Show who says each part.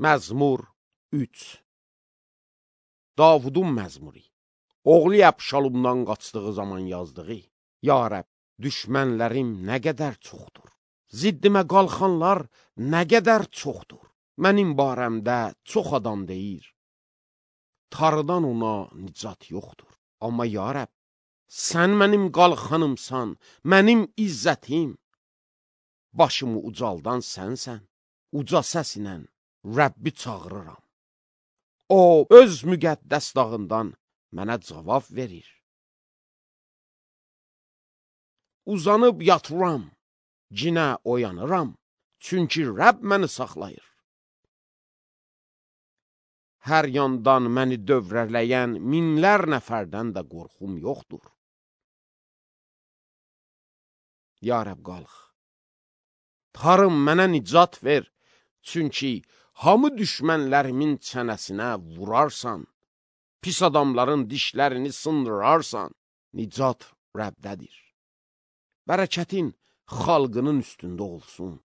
Speaker 1: Məzmur 3. Davudun məzmuri. Oğlu Əbşalomdan qaçdığı zaman yazdığı: Ya Rəbb, düşmənlərim nə qədər çoxdur. Ziddimə qalxanlar nə qədər çoxdur. Mənim barəmdə çox adam deyir: Tarıdan ona nicat yoxdur. Amma ya Rəbb, sən mənim qalxanımsan, mənim izzətim. Başımı ucaldan sənsən. Uca səslə Rəbbi çağırıram. O, öz müqəddəs dağından mənə cavab verir. Uzanıb yatıram, cinə oyanıram, çünki Rəbb məni saxlayır. Hər yandan məni dövrələyən minlər nəfərdən də qorxum yoxdur. Ya Rəbb, qalx. Tarım, mənə nicat ver, çünki hamı düşmənlərimin çənəsinə vurarsan, pis adamların dişlərini sındırarsan, nicat Rəbdədir. Bərəkətin xalqının üstündə olsun.